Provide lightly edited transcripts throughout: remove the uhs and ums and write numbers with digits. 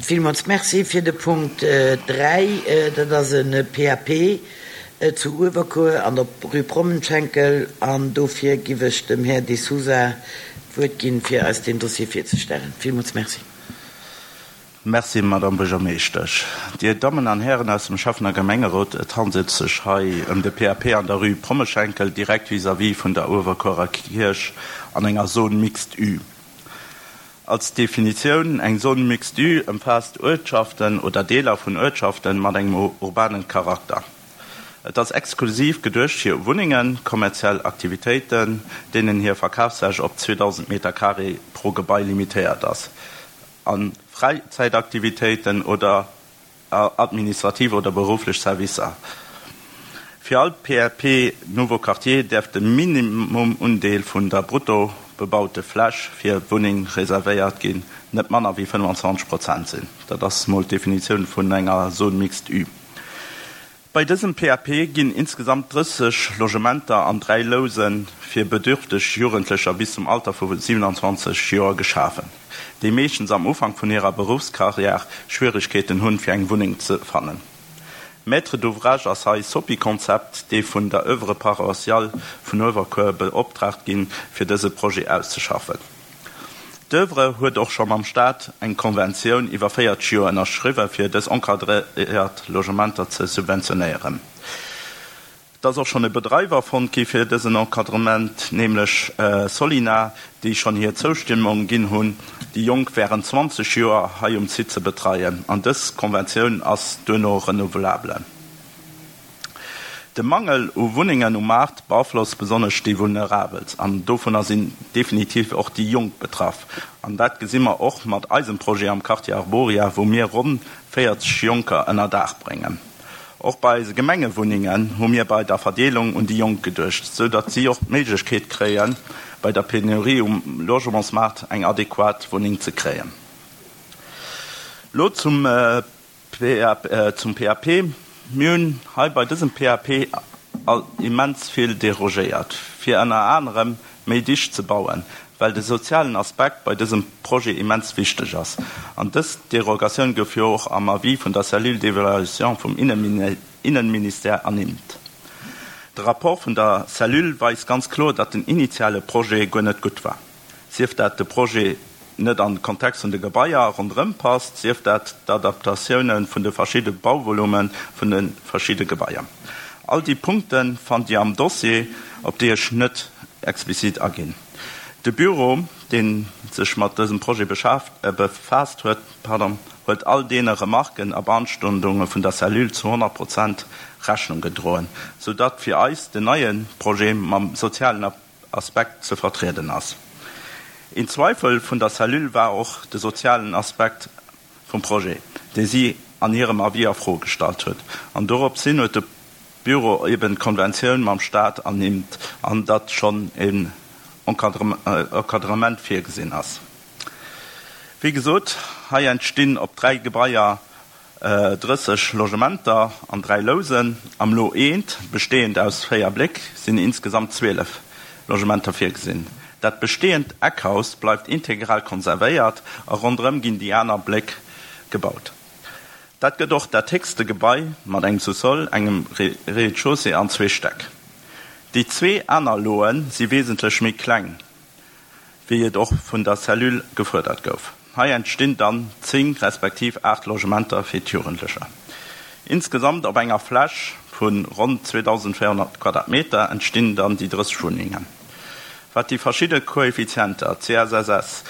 Villmools Merci fir de Punkt 3. Dat ass e PAP zu Uewerkuer an der Rue Prommenschenkel an dofir giff ech dem Här De Sousa d'Wuert ginn, fir eis deen Dossier virzestellen. Villmools Merci. Merci, Madamm Buergermeeschtesch. Dir Dammen an Hären aus dem Schäffen a Gemengerot, et handelt sech hei ëm de PAP an der Rue Prommeschenkel, direkt vis-à-vis vun der Uewerkuerer Kierch an enger Zone mixte U. Als Definitioun, Eng Zone mixte U ëmfaasst Uertschaften oder Deeler vun Uertschaften mat engem urbanen Charakter. Et ass exklusiv geduecht fir Wunnengen, kommerziell Aktivitéiten, deenen hir Verkafsfläch op 2.000 Meter carré pro Gebai limitéiert ass, a Fräizäitaktivitéiten oder administrativ oder berufflech Servicer. Fir all PAP Nouveau Quartier däerf de Minimumundeel vun der brutto bebaute Fläch fir Wunneng reservéiert ginn net manner wéi 25 Prozent sinn. Dat ass mol d'Definitioun vun enger Zone mixte U. Bei dësem PAP ginn insgesamt 30 Logementer an 3 Louse fir bedürfteg Jugendlecher bis zum Alter vu 27 Joer geschafen, déi meeschtens am Ufank vun hirer Beruffskarriär Schwieregkeeten hunn, fir eng Wunneng ze fannen. Maître d'ouvrage ass hei Sopi-Concept, déi vun der Oeuvre paroissiale vun Uewerkuer beoptraagt ginn, fir dëse Projet auszeschaffen. D'Oeuvre huet och scho mam Staat eng Konventioun iwwer 40 Joer ënnerschriwwen, fir dës encadréiert Logementer ze subventionéieren. Et ass och schonn e Bedreiwer fonnt gi fir dësen Encadrement, nämlech Solina, déi schonn hir Zoustëmmung ginn hunn, déi Jonk wärend 20 Joer hei um Site ze betreien. An dës Konventioun ass duerno renouvelable. De Mangel u Wunnengen um Maart beaflosst besonnesch déi Vulnerabelst an dovunner sinn definitiv och déi Jonk betraff. An dat gesi mer och mat eisem Projet am Quartier Arboria, wou mir ronn 40 Jonker ënner Daach bréngen. Och bei eise Gemengewunnengen hu mir bei der Verdeelung un déi Jonk geduecht, sou datt si och d'Méiglechkeet kréien, bei der Penurie um Logementsmaart eng adequat Wunneng ze kréien. Lo zum. Zum PAP, Mir hunn hei bei dësem PAP all immens vill derogéiert, fir ënner anerem méi dicht ze bauen, well de sozialen Aspekt bei dësem Projet immens wichteg ass. An dës Derogatioun gouf jo och am Avis vun der Cellule d'évaluation vum Innenministère ernimmt. De Rapport vun der Cellule weist ganz kloer, datt den initiale Projet guer net gutt war. sief dat de Projet net an de Kontext vun de Gebaier ronderëm passt, sief dat d'Adaptatioune vun de verschidde Bauvolume vun de verschidde Gebaier. All déi Punkte fannt Dir am Dossier, op déi ech net explizit aginn. De Büro, dee sech mat dësem Projet befaasst huet, huet all deene Remarken a Beanstandunge vun der Cellule zu 100 Prozent Rechnung gedroen, soudatt fir eis den neie Projet mam sozialen Aspekt ze vertrieden ass. Een Zweifel vun der Cellule war och de sozialen Aspekt vum Projet, dee si an hirem Avis a Fro gestallt huet. An dorops hin huet de Büro eben d'Konventioun mam Stat ernimmt, an datt schonn en Encadrement virgesinn ass. Wéi gesot, hei entstinn op 3 Gebaier 30 Logementer an 3 Lousen. Am Lot eent, bestehend aus 4 Bléck, sinn insgesamt 12 Logementer virgesinn. Dat bestehend Eckhaus bleift integral konservéiert a ronderëm ginn déi aner Bléck gebaut. Dat gëtt och dat héchste Gebai mat engem Sous-sol, engem Rez-de-chaussée an zwee Stäck. Déi zwee aner Loe si wesentlech méi kleng. wéi et och vun der Cellule gefuerdert gouf. Hei entstinn dann 10 respektiv 8 Logementer fir d'Jugendlecher. Insgesamt op enger Fläch vu ronn 2.400 Quadratmeter entstinn dann déi 30 Wunnengen. Wat déi verschidde Koeffizienter, CSSS,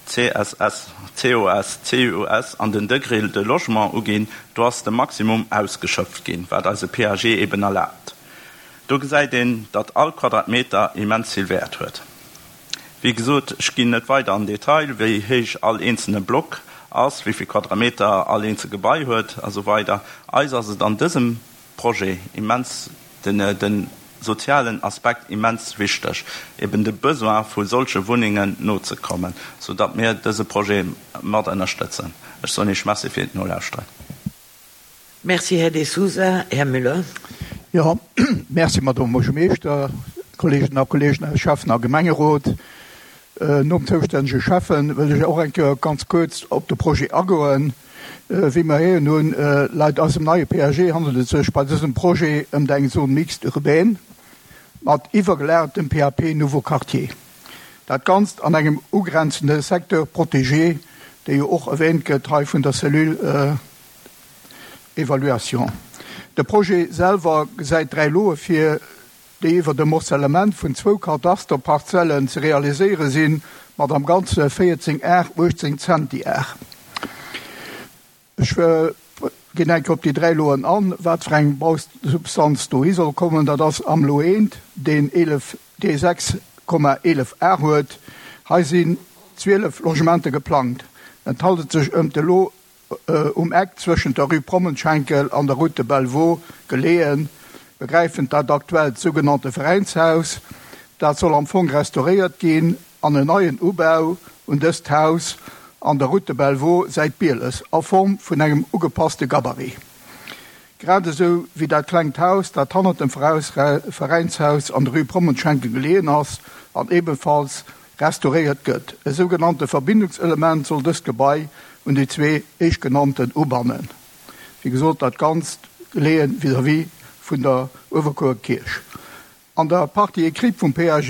CSS, COS, CUS an den Degré de logement uginn, do ass de Maximum ausgeschöpft ginn, wat eise PAG eben erlaabt. Do gesäit een, datt all Quadratmeter immens vill Wäert huet. Wéi gesot, ech ginn net weider an Detail, wéi héich all eenzelne Block ass, wéi vill Quadrameter all eenzel Gebai huet a sou weider. Eis ass et an dësem Projet immens, de sozialen Aspekt immens wichteg, eben de Besoin vu solche Wunnengen nozekommen, soudatt mir dëse Projet mat ënnerstëtzen. Ech soen Iech Merci fir d'Nolauschteren. Merci, Här De Sousa. Här Müller. Jo, merci, Madame Buergermeeschter, Kolleeginnen a Kolleegen aus Schäffen a Gemengerot. Nom zoustännege Schäffen wëll ech och eng Kéier ganz kuerz op de Projet agoen. Wéi mer héieren hunn, laut eisem neie PAG handelt et sech bei dësem Projet ëmt eng Zone mixte urbaine mat iwwergelagertem PAP Nouveau Quartier. Dat Ganzt an engem ugrenzende Secteur protégé, dee jo och erwähnt gëtt hei vun der Cellule d'évaluation. De Projet selwer gesäit 3 Loe vir, déi iwwert e Morcellement vun zwou Kadasterparzellen ze realiséiere sinn, mat am Ganze 14 Ar 18 Zentiar. Ech ginn eng Kéier op déi 3 Loen an, wat fir eng Bausubstanz dohi soll kommen. Dat ass am Lot 1, deen 11, dee 6,11 Ar huet. Hei sinn 12 Logementen geplangt. Et handelt sech ëm de Lot Um Eck zwëschent der Rue Prommenschenkel an der Route de Bellevaux geleeën, begräifend dat aktuellt sougenannte Veräinshaus. Dat soll am Fong restauréiert ginn an en neien Ubau un dëst Haus an der Route de Bellevaux Säit Bieles a Form vun engem ugepasste Gabarit. Grad esou wéi dat klengt Haus, dat hannert dem Veräinshaus an der Rue Prommenschenkel geleeën ass an ebenfalls restauréiert gëtt. E sougenannte Verbindungselement soll dëst Gebai un déi zwee éischtgenannten ubannen. Wéi gesot, dat Ganzt geleeën vis-à-vis vun der Uewerkuerer Kierch. An der Partie écrite vum PAG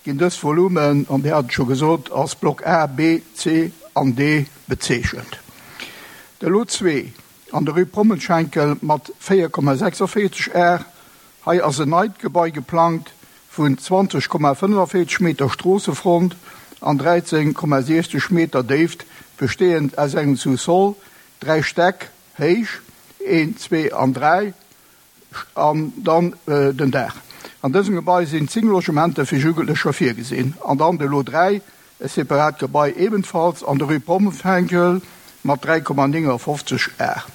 ginn dës Volumen, an Dir hat et scho gesot, als Block A, B, C an D bezeechent. De Lot 2 an der Rue Prommenschenkel mat 4,46 Ar, Hei ass en neit Gebai geplangt vun 20,45 Meter Stroossefront an 13,60 Meter Déift, besteeënd aus engem Sous-sol, 3 Stäck héich, een, zwee an dräi, an dann den Daach. An dësem Gebai sinn 10 Logementer fir Jugendlecher virgesinn. An dann de Lot 3, e separat Gebai ebenfalls an der Rue Pommenfenkel mat 3,59 Ar.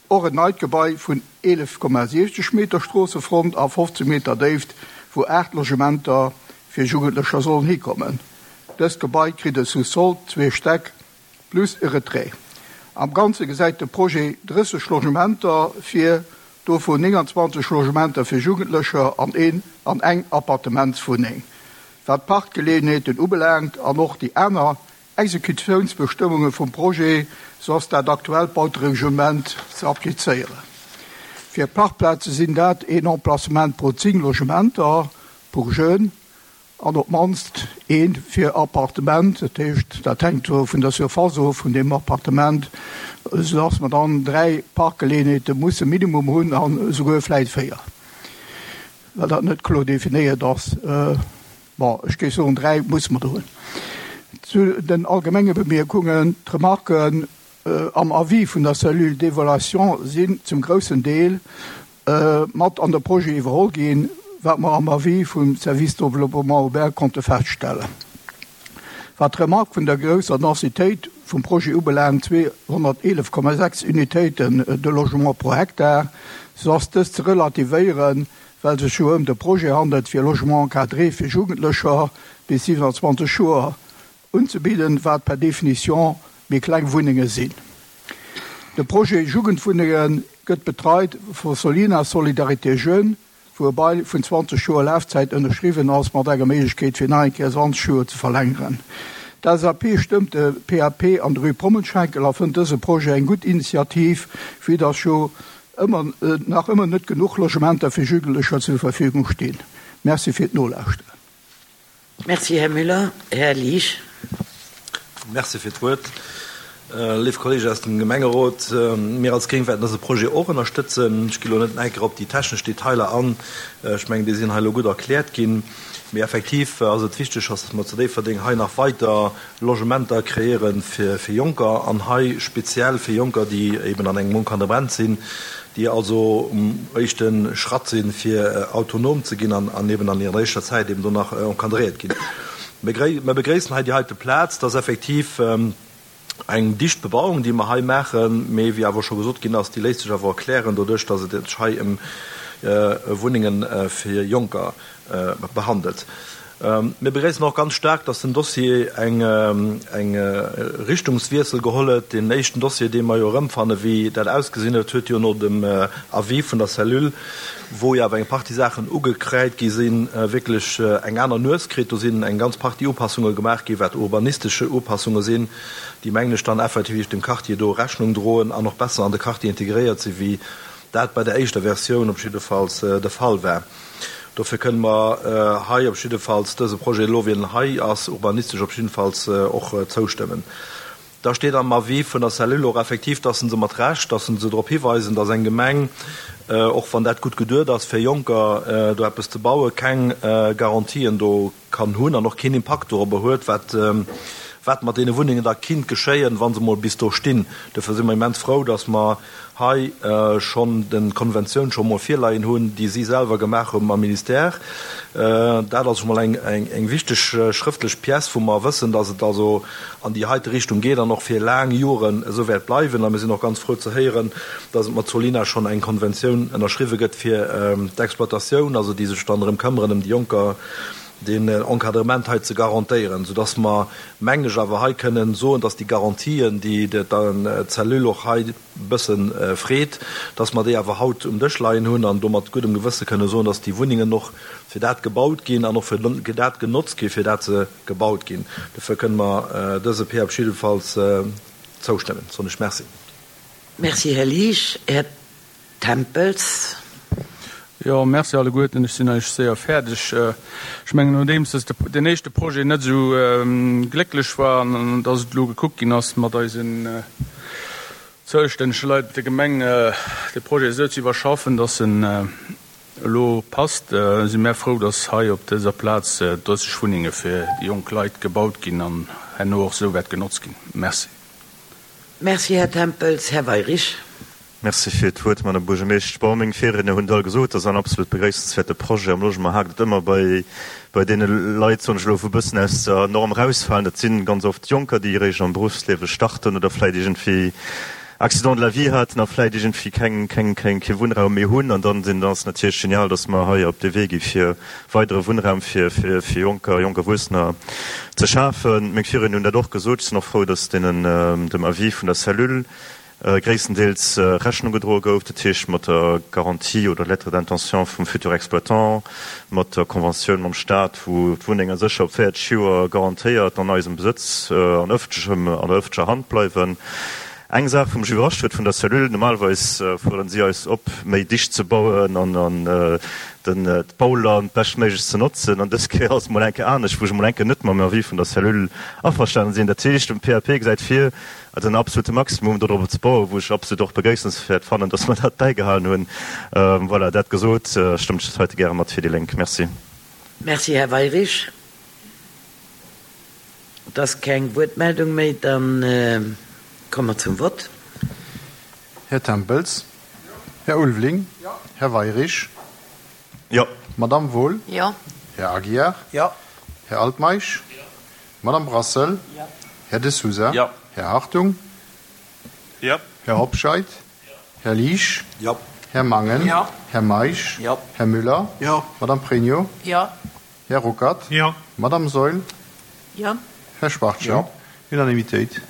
Och en neit Gebai vun 11,60 Meter Stroossefront a 15 Meter Déift, wou 8 Logementer fir Jugendlecher sollen hikommen. Dëst Gebai kritt e Sous-sol, zwee Stäck plus e Retrait. Am Ganze gesäit de Projet 30 Logementer vir, dovun 29 Logementer fir Jugendlecher an een an eng Appartementswunneng. Wat d'Parkgeleeënheeten ubelaangt an och déi aner Exekutiounsbestëmmunge vum Projet, sou ass dat aktuellt Bautereglement ze applizéieren. Fir Parkplaze sinn dat een Emplacement pro 10 Logementer pour jeunes an op d'mannst ee fir Appartement. Dat heescht, dat hänkt vun der Surface of vun deem Appartement, sou dass mer dann 3 Parkgeleeënheete musse minimum hunn an esouguer vläit 4, well dat net kloer definéiert ass. Bon, ech géif soen, 3 musse mer der hunn. Zu den allgemenge Bemierkungen, D'Remarken am Avis vun der Cellule d'évaluation sinn zum groussen Deel mat an de Projet iwwerholl ginn, wat mer am Avis vum Service développement urbain konnte feststellen. Wat d'Remark vun der grousser Densitéit vum Projet ubelaangt, 211,6 Unitéiten de logement pro Hektar, sou ass dës ze relativéieren, well sech jo ëm de Projet handelt fir Logement encadré fir Jugendlecher bis 27 Joer unzebidden, wat per définition méi kleng Wunnenge sinn. De Projet Jugendwunnenge gëtt betreit vu Solina Solidarité Jeunes, wou e Bail vun 20 Joer Lafzäit ënnerschriwwen ass, mat enger Méiglechkeet fir nach eng Kéier 20 Joer ze verlängeren. D'LSAP stëmmt de PAP an de Rue Prommenschenkel a fënnt dëse Projet eng gutt Initiativ, vue dass jo ëmmer nach ëmmer net genuch Logementer fir Jugendlecher zur Verfügung stinn. Merci fir d'Nolauschteren. Merci, Här Müller. Här Liesch. Merci fir d'Wuert. Léif Kollegen aus dem Gemengerot, mir als Gréng wäerten dëse Projet och ënnerstëtzen. Ech gi lo net nach eng Kéier op déi technesch Detailer an. Ech mengen, déi sinn hei elo gutt erkläert ginn. Mee effektiv ass et wichteg, dass mer zu Déifferdeng hei nach weider Logementer kreéiere fir Jonker an hei speziell fir Jonker, déi eben an engem Encadrement sinn, déi also um éischte Schratt sinn, fir autonom ze ginn an eben an hirer éischter Zäit eben do nach encadréiert ginn. Mir begréissen hei déi heite Plaz, dass effektiv eng dicht Bebauung, déi mer hei maachen, mee wéi awer scho gesot ginn ass, déi léisst sech awer erklären doduerch, dass et sech hei ëm Wunnenge fir Jonker behandelt. Mir begréissen och ganz staark, dass den Dossier eng Richtungswiessel geholl huet. Deen éischten Dossier, dee mer jo erëmfannen, wéi dat ausgesinn huet, huet jo no dem Avis vun der Cellule, wou jo awer eng Partie Saachen ugekräit gi sinn, wierklech eng aner Nues kritt. Do sinn eng ganz Partie Upassunge gemaach ginn, wat urbanistesche Upassunge sinn, déi, mengen ech, dann effektiv dem Quartier do Rechnung droen an och besser an de Quartier integréiert sinn, wéi dat bei der éischter Versioun op jiddefalls de Fall war. Dofir kënne mer hei op jiddefalls dëse Projet elo, wéi en hei ass, urbanistesch op jiddefalls och zoustëmmen. Da steet am Avis vun der Cellule och effektiv, dass se mat Recht, dass se drop hiweisen, dass eng Gemeng, och wann dat gutt geduet ass, fir Jonker do eppes ze bauen, keng Garantien do kann hunn an och keen Impakt dorobber huet, wat wat mat deene Wunnengen da kinnt geschéien, wa se mol bis do stinn. Dofir si mer immens frou, dass mer hei schonn de Konventioun scho mol virleien hunn, déi si selwer gemaach hu mam Ministère. Dat ass scho mol eng eng wichteg schrëftlech Pièce, wou mer wëssen, dass et also an déi heite Richtung geet an och fir laang Joren esou wäert bleiwen. A mir sinn och ganz frou ze héieren, dass et mat Solina schonn eng Konventioun ënnerschriwwe gëtt fir d'Exploitatioun, also déi sech dann erëm këmmeren ëm déi Jonker, deen Encadrement hei ze garantéieren, soudass mer, mengen ech, awer hei kënnen soen, dass déi Garantien, déi d'Cellule och hei e bësse freet, dass mer déi awer haut um Dësch leien hunn an do mat guddem Gewësse kënnen soen, dass déi Wunnengen och fir dat gebaut ginn an och fir dat genotzt ginn, fir dat se gebaut ginn. Dofir kënnen mer dëse PAP jiddefalls zoustëmmen, soen ech Merci. Merci, Här Liesch. Här Tempels. Jo, merci alleguerten. Ech sinn eigentlech séier fäerdeg. Ech mengen, nodeems dass deen éischte Projet net esou glécklech war an dass et elo gekuckt ginn ass, mat eisen zoustännege Leit op der Gemeng de Projet esou ze iwwerschaffen, dass en elo passt, si mär frou, dass hei op dëser Plaz 30 Wunnenge fir déi jonk Leit gebaut ginn an herno och esou wäert genotzt ginn. Merci. Merci, Här Tempels. Här Weyrich. Merci fir d'Wuert, Madame Buergermeeschtesch. Bon, meng Virriedner hunn et all gesot, dat ass en absolut begréissenswäerte Projet. Am Logement haakt et ëmmer bei, bei deene Leit, soen ech elo, wou e bëssen aus der Norm erausfalen. Dat si ganz oft Jonker, déi eréischt am Beruffsliewe starten oder vläicht iergendwéi Accident de la vie haten a vläicht iergendwéi keng, keng, keng, kee Wunnraum méi hunn. An dann sinn, dann ass et natierlech genial, dass mer hei op dee Wee gi fir weidere Wunnraum fir, fir, fir Jonker, jonk Erwuessener ze schafen. Meng Virriedner hunn dat och gesot. Ech sinn och frou, dass deenen, dem Avis vun der Cellule, gréisstendeels Rechnung gedroe gouf, dat heescht mat der Garantie oder Lettre d'intention vum futur Exploitant, mat der Conventioun mam Stat, wou d'Wunnenge sécher op 40 Joer garantéiert an eisem Besëtz, an ëffentlechem, an der ëffentlecher Hand bleiwen. Eng Saach, wou mech iwwerrascht huet vun der Cellule, normalerweis fuerderen si eis op, méi dicht ze bauen an an den d'Bauland beschtméiglechst ze notzen, an dës Kéier ass et mol eng Kéier anescht, wou ech emol eng Kéier net mam Avis vun der Cellule averstanen sinn. Dat heescht, den PAP gesäit vir, Also en absolute Maximum do drop ze bauen, wou ech absolut och begréissenswäert fannen, dass mer dat bäigehalen hunn. Voilà, dat gesot, stëmmt ech dat heite gäre mat fir déi Lénk. Merci. Merci, Här Weyrich. Et ass keng Wuertmeldung méi. Da komme mer zum Vott. Här Tempels. Här Ulveling. Här Weyrich. Jo. Madamm Wohl. Jo. Här Aguiar. Jo. Här Altmeisch. Jo. Madame Brassel. Jo. Här De Sousa. Jo. Här Hartung. Jo. Här Hobscheit. Jo. Här Liesch. Jo. Här Mangen. Jo. Här Meisch. Jo. Här Müller. Jo. Madame Pregno. Jo. Här Ruckert. Jo. Madame Saeul. Jo. Här Schwachtgen. Jo. Unanimitéit.